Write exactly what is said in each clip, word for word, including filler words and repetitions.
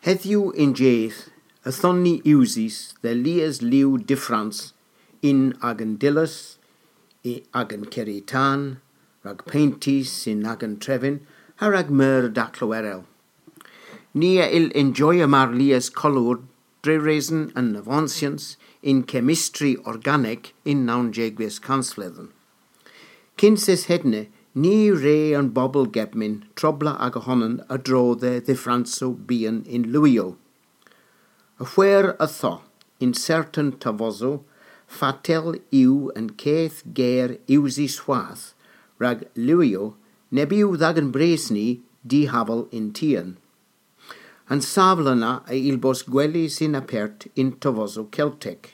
Hedhyw yn jydh, yth on ni usys dhe lies liw dyffrans yn agan dillas, y agan kerri tan, rag peynti yn agan trevin, ha rag meur daklow erel. Ni a yll enjoya mar lies kolor dre reson an avonsyans yn kemistri organek yn nownsegves kansfledhen. Kyns es hedna, ny wre an bobel kepar trobla aga honan a-dro dhe dhyffransow byghan yn liwyow. A hwer a tho, yn sertan tavosow, fatel yw an keth ger usys hwath, rag liwyow, neb yw dh'agan brys ni dihaval yn tien. An savla na a yll bos gwelys yn apert yn tavosow Keltek.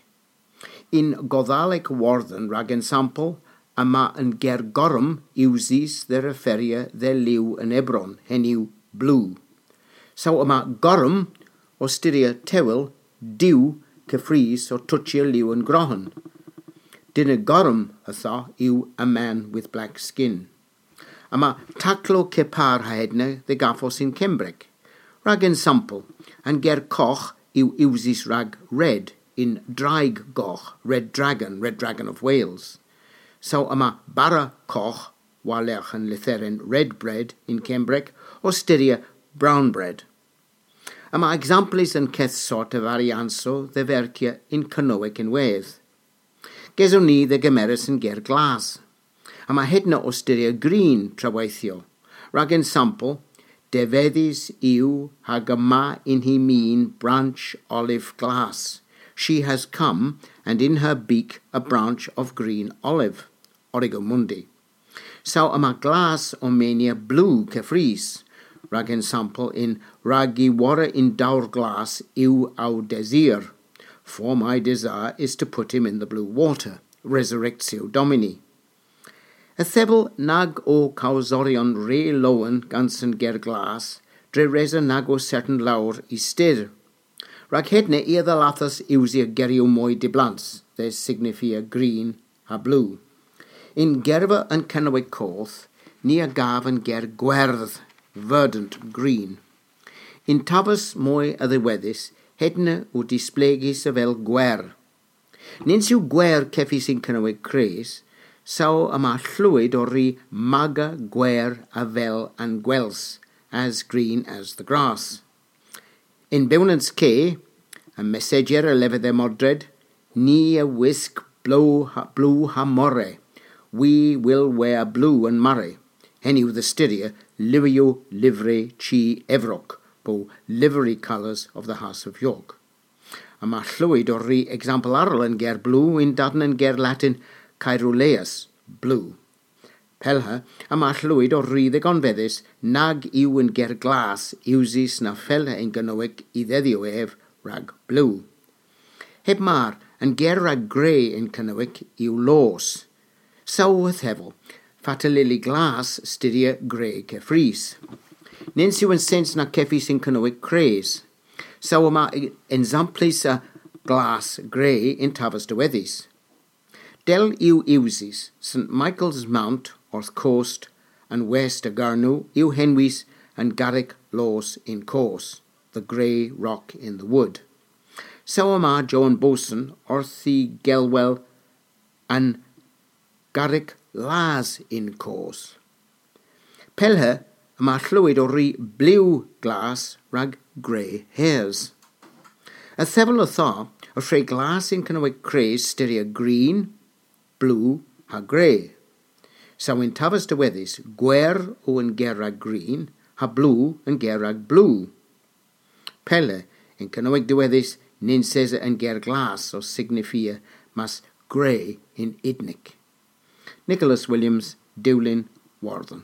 Yn Godhalek Iwerdhon rag ensampel, yma an ger gorm usys dhe referya dhe liw an ebron, henn yw blew. Saw yma gorm, ow styrya tewel, diw, keffrys ow tochya liw an grohan. Dynnargh gorm a tho yw a man with black skin. Yma taklow kepar ha hedna dhe gavos yn Kembrek. Rag ensampel, an ger kogh yw usys rag red yn Draig Gogh, Red Dragon, Red Dragon of Wales. Saw yma bara kogh, war-lergh an lytheren red bread yn Kembrek, ow styrya brown bread. Yma ekzamplys a'n keth sort a variansow dhe verkya yn Kernewek ynwedh. Geson ni dhe gemeres an ger glas. Yma hedna ow styrya green traweythyow. Rag ensampel, devedhys yw hag yma yn hy min branch olive glas. She has come, and in her beak a branch of green olive. Origo mundi. Saw yma glas ow menia blew keffrys, rag ensampel yn Rag y worra yn dowr glas yw ow desir. For my desire is to put him in the blue water, Resurrectio Domini. Yth yw nag o kawsoryon re lowen gans an ger glas, dre resa nag o sertan lowr y styr. Rag hedna i a dhallathas usya geryow moy dyblans, dhe signifia green ha blew. Yn gerva an Kernewek Koth, ni a gav an ger gwerdh, verdant green. Yn tavas moy a-dhiwedhes, hedna o displegys avel gwer. Nyns yw gwer kevys yn Kernewek Kres, saw yma tlowed ow ri maga gwer avel an gwels, as green as the grass. Yn Bewnans Ke, an messajyer a lever dhe Modred, ni a wisk blew ha, blew ha more, we will wear blue and murrey, henn yw dhe styrya liwyow livri chi evrok, po livery colours of the House of York. Yma tlowed ow ri eksampel arall an ger blew yn daden an ger Latin caeruleus, blew. Pellha, yma tlowed ow ri dhe gonvedhes nag yw an ger glas usys na fella yn Kernewek y dhedhyow ev rag blew. Heb mar, an ger rag gre yn Kernewek yw loos. Saw yth hevel, fatel ylli glas styrya gre keffrys. Nyns yw an sens na kevys yn Kernewek Kres. Saw yma e-, ensamplys a glas gre yn tavas diwedhys. Dell yw usys St Michael's Mount orth kost an west a Gernow yw henwys an garrek loos yn koos, the grey rock in the wood. Saw yma Jowan Bowson orth y gelwel an garrek las yn koos. Pellha yma tlowed ow ri blew glas rag gre hers. Yth yw ow thera, y hwre glas yn Kernewek Kres styrya green, blew ha gre. Saw yn tavas diwedhys, gwer o an ger rag green, ha blew an ger rag blew. Pella, yn Kernewek diwedhys, nyns esa an ger glas ow signifia mas gre yn Udnek. Nicholas Williams, Dewlin, Iwerdhon.